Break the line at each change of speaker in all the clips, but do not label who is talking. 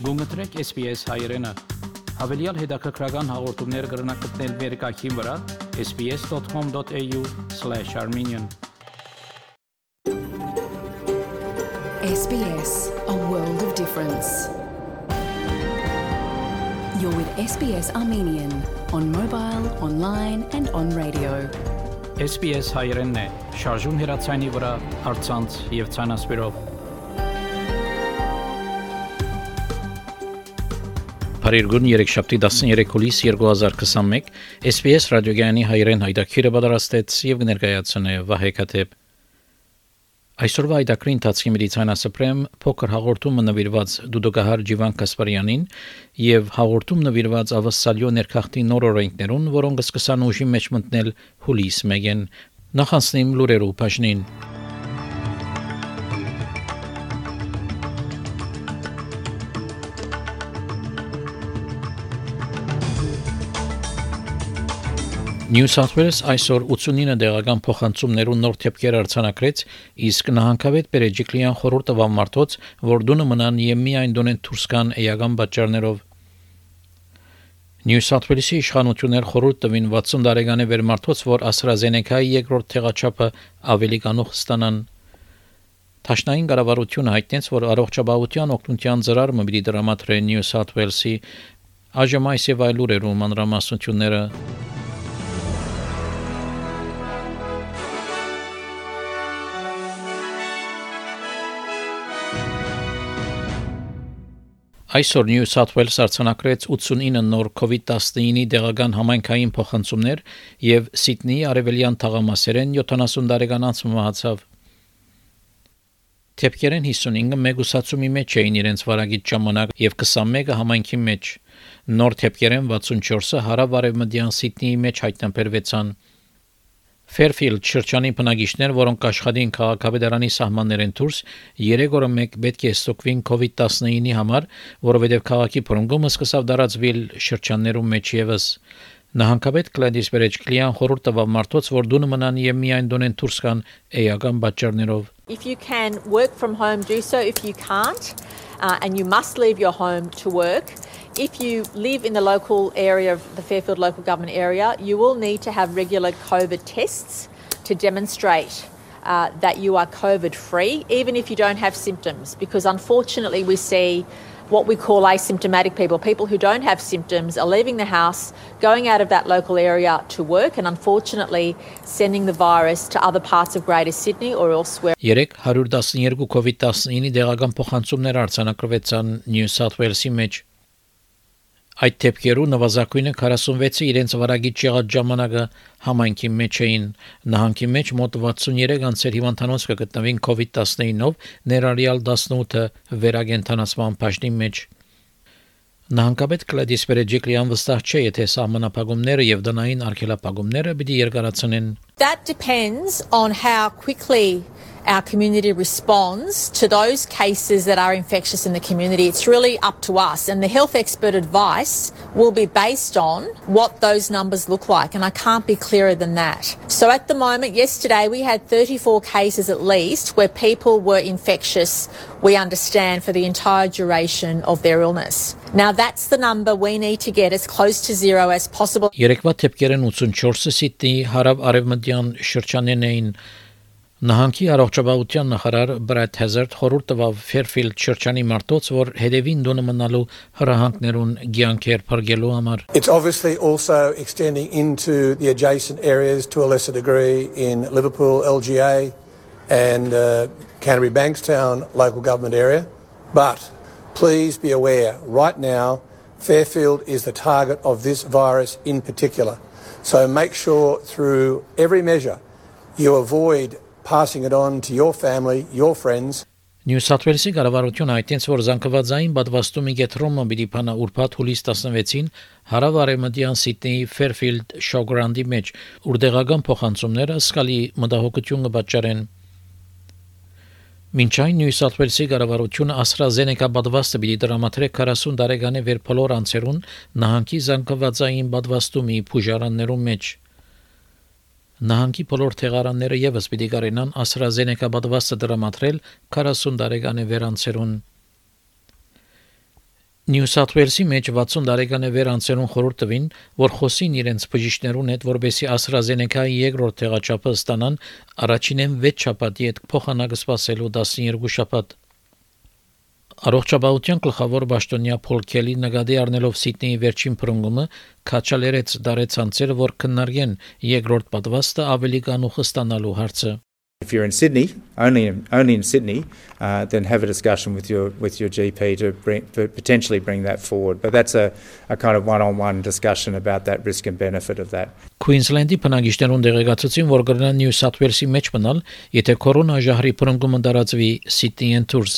Գումտրեք SPS հայրենը։ Հավելյալ հետաքրքրական հաղորդումներ կգրնակցնել վերկայքին վրա sbs.com.au/armenian
SBS, a world of difference. You're with SBS Armenian on mobile, online and on radio.
SBS հայրենն է, շարժուն հեռացանի վրա, առցանց եւ ցանասպիրով։ Փարիգուն 3-7 հուլիս 2021 SBS ռադիոգյանի հայրեն հայտակիրը պատրաստեց եւ ներկայացնե Վահե Քաթեփ։ Այսօրվա հայտակրի ընթացքի մեդիցինասպրեմ փոքր հաղորդումը նվիրված դուդուկահար Ջիվան Կասպարյանին եւ հաղորդում նվիրված ավասալյո ներքախտի նոր օրենքներուն, որոնք սկսան ուժի մեջ մտնել հուլիս 1-ին։ Նախանցնիմ լուրերու բաժնին։ New South Wales այսօր 89 դեղական փոխանցումներու նոր թեփքեր արձանագրեց, իսկ նահանգավետ Պերեջիկլյան խորհուրդը վամարտոց, որ դունը մնան եւ միայն դունեն դուրս կան էական պատճառներով։ New South Wales-ի իշխանություններ խորհուրդ տվին 60 տարեկանի վերմարտոց, որ AstraZeneca-ի երկրորդ թեղաչափը ավելի կանող ստանան։ Տաշնային կառավարությունը հայտնեց, որ առողջապահության օգնության ծրարը մի դրամատրե New South Wales-ի այժմ այս եւ այլ լուրերու մանրամասնությունները Այսօր New South Wales արձանագրեց 89 նոր COVID-19-ի դեղական համայնքային փոխանցումներ եւ Սիդնեի արևելյան թաղամասերեն 70 տարեկան անց մահացավ։ Թեփքերեն 55-ը մեգուսացումի մեջ էին իրենց վարագիծ ժամանակ եւ 21-ը համայնքի մեջ։ Նոր թեփքերեն 64-ը հարավ-արևմտյան Սիդնեի մեջ հայտնաբերվեցան։ Fairfield շրջանի բնակիչներ, որոնք աշխատին քաղաքապետարանի սահմաններեն դուրս, 3 օրը մեկ պետք է ստուգվին COVID-19-ի համար, որովհետև քաղաքի բռնկումը սկսավ տարածվել շրջաններում մեջ եւս։ Նահանգապետ Գլեդիս Պերեջիկլյան խորհուրդ տվավ մարդոց, որ դունը մնան եւ միայն դունեն դուրս կան էական պատճառներով։
If you can work from home, do so. If you can't, and you must leave your home to work, if you live in the local area of the Fairfield local government area, you will need to have regular COVID tests to demonstrate that you are COVID free, even if you don't have symptoms, because unfortunately we see what we call asymptomatic people who don't have symptoms are leaving the house, going out of that local area to work and unfortunately sending the virus to other parts of Greater Sydney or elsewhere.
312 COVID-19-ի դեղական փոխանցումներ արձանագրվեցան New South Wales-ի մեջ։ Այդ թեփքերու նվազագույնը 46-ը իրենց վարագիծ եղած ժամանակը համայնքի մեջ էին։ Նահանգի մեջ մոտ 63 անձեր հիվանդանոց կգտնվին COVID-19-ով, ներառյալ 18-ը վերագենթանացման բաժնի մեջ։ Նահանգապետ Գլեդիս Պերեջիկլյան վստահ չէ, եթե սահմանափակումները եւ դնային արգելափակումները պիտի երկարացնեն։
That depends on how quickly our community responds to those cases that are infectious in the community. It's really up to us, and the health expert advice will be based on what those numbers look like, and I can't be clearer than that. So at the moment, yesterday we had 34 cases at least where people were infectious, we understand, for the entire duration of their illness. Now that's the number we need to get as close to zero as possible.
Երեկվա թեփքերեն 84-ը Սիդնեի հարավ-արևմտյան շրջանեն էին։ Նահանգի առողջապահության նախարար Brad Hazzard խորհուրդ տվավ Fairfield շրջանի մարդոց, որ հետևին դոնը մնալու հրահանգներուն գյանքեր փրկելու համար։
It's obviously also extending into the adjacent areas to a lesser degree in Liverpool, LGA and Canterbury Bankstown local government area. But please be aware, right now Fairfield is the target of this virus in particular. So make sure through every measure you avoid passing it on to your family, your friends.
New South Wales-ի կառավարությունը հայտնեց, որ զանգվածային պատվաստումի գետրոնը պիտի փանա ուրբաթ հուլիս 16-ին հարավ-արևմտյան Սիդնեի Fairfield Showground-ի մեջ, ուր դեղական փոխանցումները սկալի մտահոգություն կպատճառեն։ Մինչ այն New South Wales-ի կառավարությունը AstraZeneca պատվաստը պիտի դրամատրե 40 տարեկանի վեր բոլոր անձերուն նահանգի զանգվածային պատվաստումի փուժարաններում մեջ։ Նահանգի բոլոր թեղարանները եւս պիտի կարենան AstraZeneca պատվաստը դրամատրել 40 տարեկանի վերանցերուն։ Նյու Սաութ Ուելսի մեջ 60 տարեկան է վեր անցերուն խորհուրդ տվին, որ խոսին իրենց բժիշկներուն հետ, որբեսի AstraZeneca-ի երկրորդ տեղաչափը ստանան առաջինեն 6 շաբաթի հետ փոխանակը սպասելու 12 շաբաթ։ Առողջապահության գլխավոր պաշտոնյա Փոլ Քելի նկատի առնելով Սիդնեի վերջին փրկումը քաչալերեց դարեցանցերը, որ քննարկեն երկրորդ պատվաստը ավելի կանուխ ստանալու հարցը։
If you're in Sydney, only in Sydney, then have a discussion with your GP to potentially bring that forward. But that's a kind of one-on-one discussion about that risk and benefit of that.
Queensland-ի բնակիչներուն դեղեկացուցին, որ կգնան New South Wales-ի մեջ մնալ, եթե կորոնա ժահրի փրկումը դարածվի Sydney-ն Tours։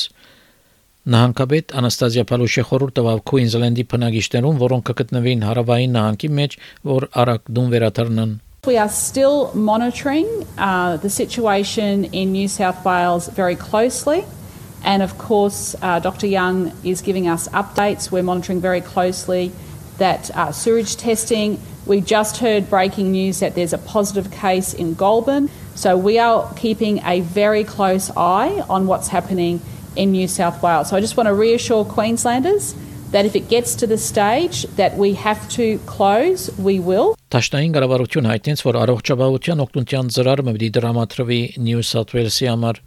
Նահանգապետ Անաստազիա Փալուշը խորհուրդ տվավ Queensland-ի բնակիչներուն, որոնք կգտնվին հարավային նահանգի մեջ, որ արագ դուն վերաթարնան։
We are still monitoring the situation in New South Wales very closely, and of course Dr Young is giving us updates. We're monitoring very closely that sewage testing. We just heard breaking news that there's a positive case in Goulburn, so we are keeping a very close eye on what's happening in New South Wales. So I just want to reassure Queenslanders that if it gets to the stage that we have to close, we will.
Տաշնային կառավարություն հայտնեց, որ առողջապահության օգնության ծրարը պետք է դրամատրվի Նյու Սաութ Ուելսի համար։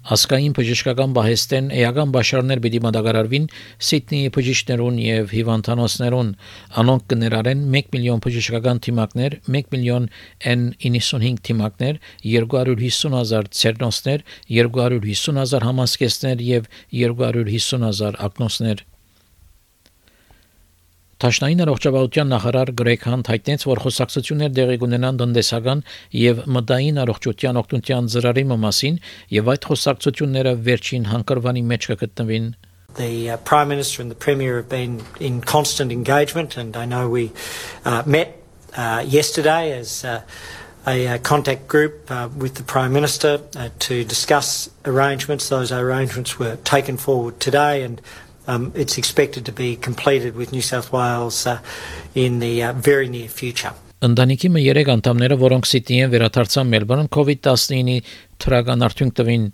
Ասկային բժշկական բահեստեն էական բաշարներ պետք է մատակարարվին Սիդնեի բժիշկներուն եւ հիվանդանոցներուն։ Անոնք կներառեն 1 միլիոն բժշկական թիմակներ, 1 միլիոն N95 թիմակներ, 250,000 ցերնոսներ, 250,000 համազգեստներ եւ 250,000 ակնոցներ։ Տաշնային առողջապահության նախարար Գրեգ Հանտ հայտնեց, որ խոսակցություններ տեղի կունենան տնտեսական եւ մտային առողջության օգնության ծրարի մասին եւ այդ խոսակցությունները վերջին հանգրվանի մեջ կգտնվին։
The Prime Minister and the Premier have been in constant engagement, and I know we met yesterday as a contact group with the Prime Minister to discuss arrangements. Those arrangements were taken forward today, and it's expected to be completed with New South Wales in the very near future.
Ընտանիքի 3 անդամները, որոնք Սիդնեին վերադարձան Մելբուրն, COVID-19-ի թրական արդյունք տվին։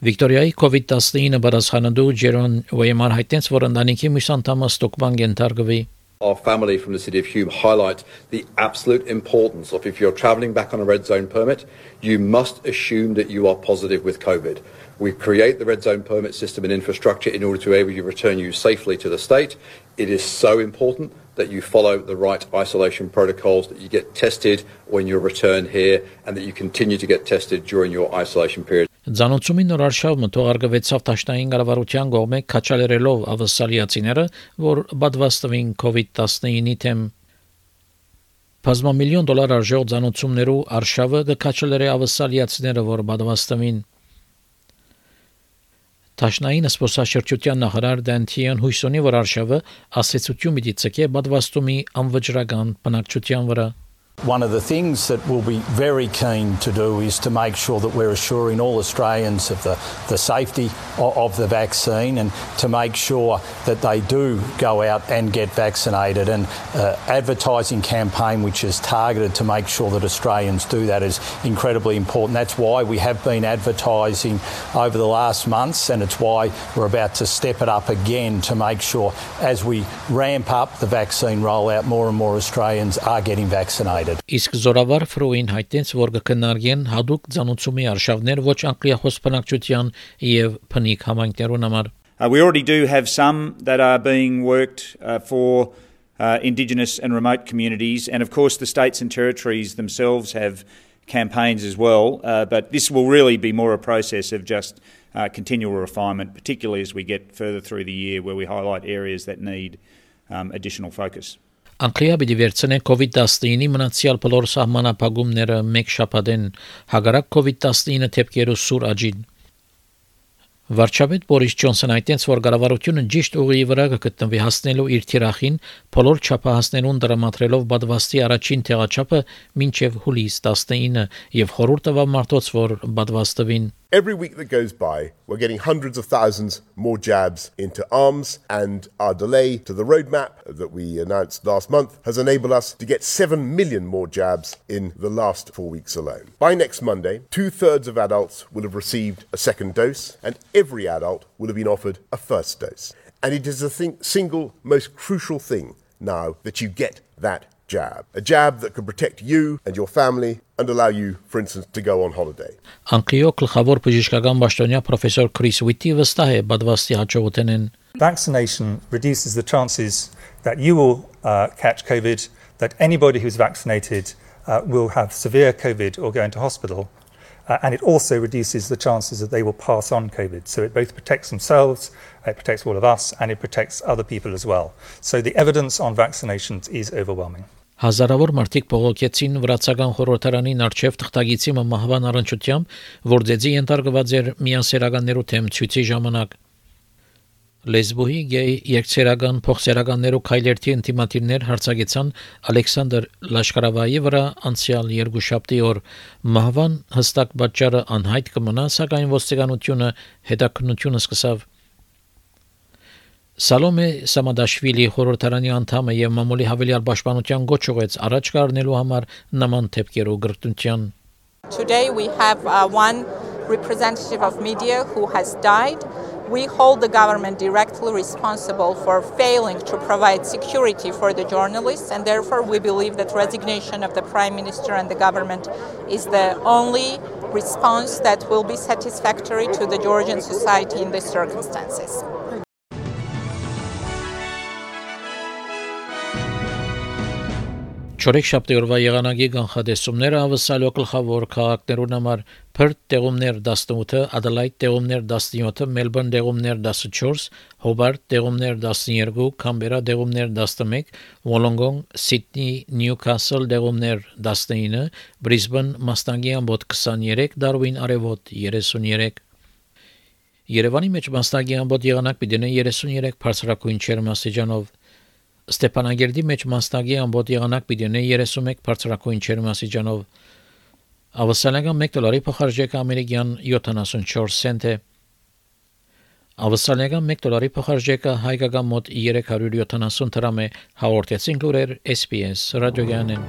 Վիկտորիայի COVID-19 բարձրանալու Ջերոն Ուեյմար հայտնեց, որ ընտանիքի մյուս անդամը ստոկման կենթարկվի։
Our family from the City of Hume highlight the absolute importance of if you're travelling back on a red zone permit, you must assume that you are positive with COVID. We create the red zone permit system and infrastructure in order to be able to return you safely to the state. It is so important that you follow the right isolation protocols, that you get tested when you return here, and that you continue to get tested during your isolation period.
Ձանոցումի նոր արշավը թողարկվեցավ Տաշնային կառավարության կողմէ քաչալերելով ավսալիացիները, որ պատվաստվին COVID-19-ի թեմ։ $500 միլիոն արժող ձանոցումներու արշավը կքաչալերի ավսալիացիները, որ պատվաստվին։ Տաշնային սպորտաշրջության նախարար Դանթիան հույսունի, որ արշավը ասեցություն պիտի ցկե պատվաստումի անվճռական բնակչության վրա։
One of the things that we'll be very keen to do is to make sure that we're assuring all Australians of the safety of the vaccine, and to make sure that they do go out and get vaccinated. And advertising campaign which is targeted to make sure that Australians do that is incredibly important. That's why we have been advertising over the last months, and it's why we're about to step it up again to make sure as we ramp up the vaccine rollout, more and more Australians are getting vaccinated.
Իսկ զորավար Ֆրոին հայտնեց, որ կքննարկեն հadoop ցանուցումի արշավներ ոչ անկլիախոս բնակչության եւ փնիկ համայնքներուն համար։
We already do have some that are being worked for Indigenous and remote communities, and of course the states and territories themselves have campaigns as well, but this will really be more a process of just continual refinement, particularly as we get further through the year where we highlight areas that need additional focus.
Անկլիա պիտի վերցնեն COVID-19-ի մնացյալ բոլոր սահմանափակումները մեկ շաբաթեն հագարակ COVID-19 թեփքերու սուր աճին։ Վարչապետ Բորիս Ջոնսոնը հայտնեց, որ կառավարությունը ճիշտ ուղիի վրա կգտնվի հասնելու իր թիրախին բոլոր չափահասներուն դրամատրելով պատվաստի առաջին տեղաչափը մինչև հուլիս 19 եւ խորհուրդ տվավ մարդոց, որ պատվաստվին։
Every week that goes by, we're getting hundreds of thousands more jabs into arms, and our delay to the roadmap that we announced last month has enabled us to get 7 million more jabs in the last 4 weeks alone. By next Monday, 2/3 of adults will have received a second dose, and every adult will have been offered a first dose. And it is the single most crucial thing now that you get that jab. A jab that can protect you and your family and allow you, for instance, to go on holiday.
Անկլիո գլխավոր բժշկական պաշտոնյա պրոֆեսոր Քրիս Ուիթի վստահ է բադվաստի հաջողութենեն.
Vaccination reduces the chances that you will catch COVID, that anybody who's vaccinated will have severe COVID or go into hospital. And it also reduces the chances that they will pass on COVID. So it both protects themselves, it protects all of us, and it protects other people as well. So the evidence on vaccinations is overwhelming.
Հազարավոր մարդիկ բողոքեցին վրացական խորհրդարանին արչև թղթագիտի մահվան առնչությամբ, որ ձեզի ենթարկված էր միանսերականներու թեմ ցույցի ժամանակ. Լեսբոյի գեյ երկցերական փոխսերականներու քայլերթի ինտիմատիվներ հարցակեցան Ալեքսանդր Լաշկարավայի վրա անցյալ երկուշաբթի օր մահվան հստակ պատճառը անհայտ կմնա, սակայն ոստիկանությունը հետաքննությունը սկսավ. Սալոմե Սամադաշվիլի խորհրդարանի անդամը եւ մամուլի հավելյալ պաշտպանության գոչ ուղեց առաջ կառնելու համար նման թեփքերու գրտնության.
Today we have one representative of media who has died. We hold the government directly responsible for failing to provide security for the journalists, and therefore we believe that resignation of the Prime Minister and the government is the only response that will be satisfactory to the Georgian society in these circumstances.
Չորեքշաբթի օրվա եղանակի կանխատեսումները ավսալո գլխավոր քաղաքներուն համար Perth տեղումներ 18, Adelaide տեղումներ 17, Melbourne տեղումներ 14, Hobart տեղումներ 12, Canberra տեղումներ 11, Wollongong, Sydney, Newcastle տեղումներ 19, Brisbane մաստանգի ամբոտ 23, Darwin արևոտ 33. Երևանի մեջ մաստանգի ամբոտ եղանակ պիտի 33 բարձրակույն ջերմաստիճանով Ստեփանագերդի մեջ մաստագի ամբոտ եղանակ պիտի 31 բարձրակույն ջերմաստիճանով ավսալական $1 փոխարժեքը ամերիկյան 74 سنت է ավսալական $1 փոխարժեքը հայկական մոտ 370 դրամ է հաղորդեցին լուրեր SPS ռադիոյանեն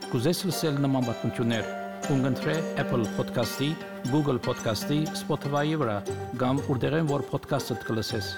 Կուզես լսել նման բանություններ, կընտրե Apple Podcast-ի, Google Podcast-ի, Spotify-ի վրա, կամ որտեղեն որ podcast-ը կլսես։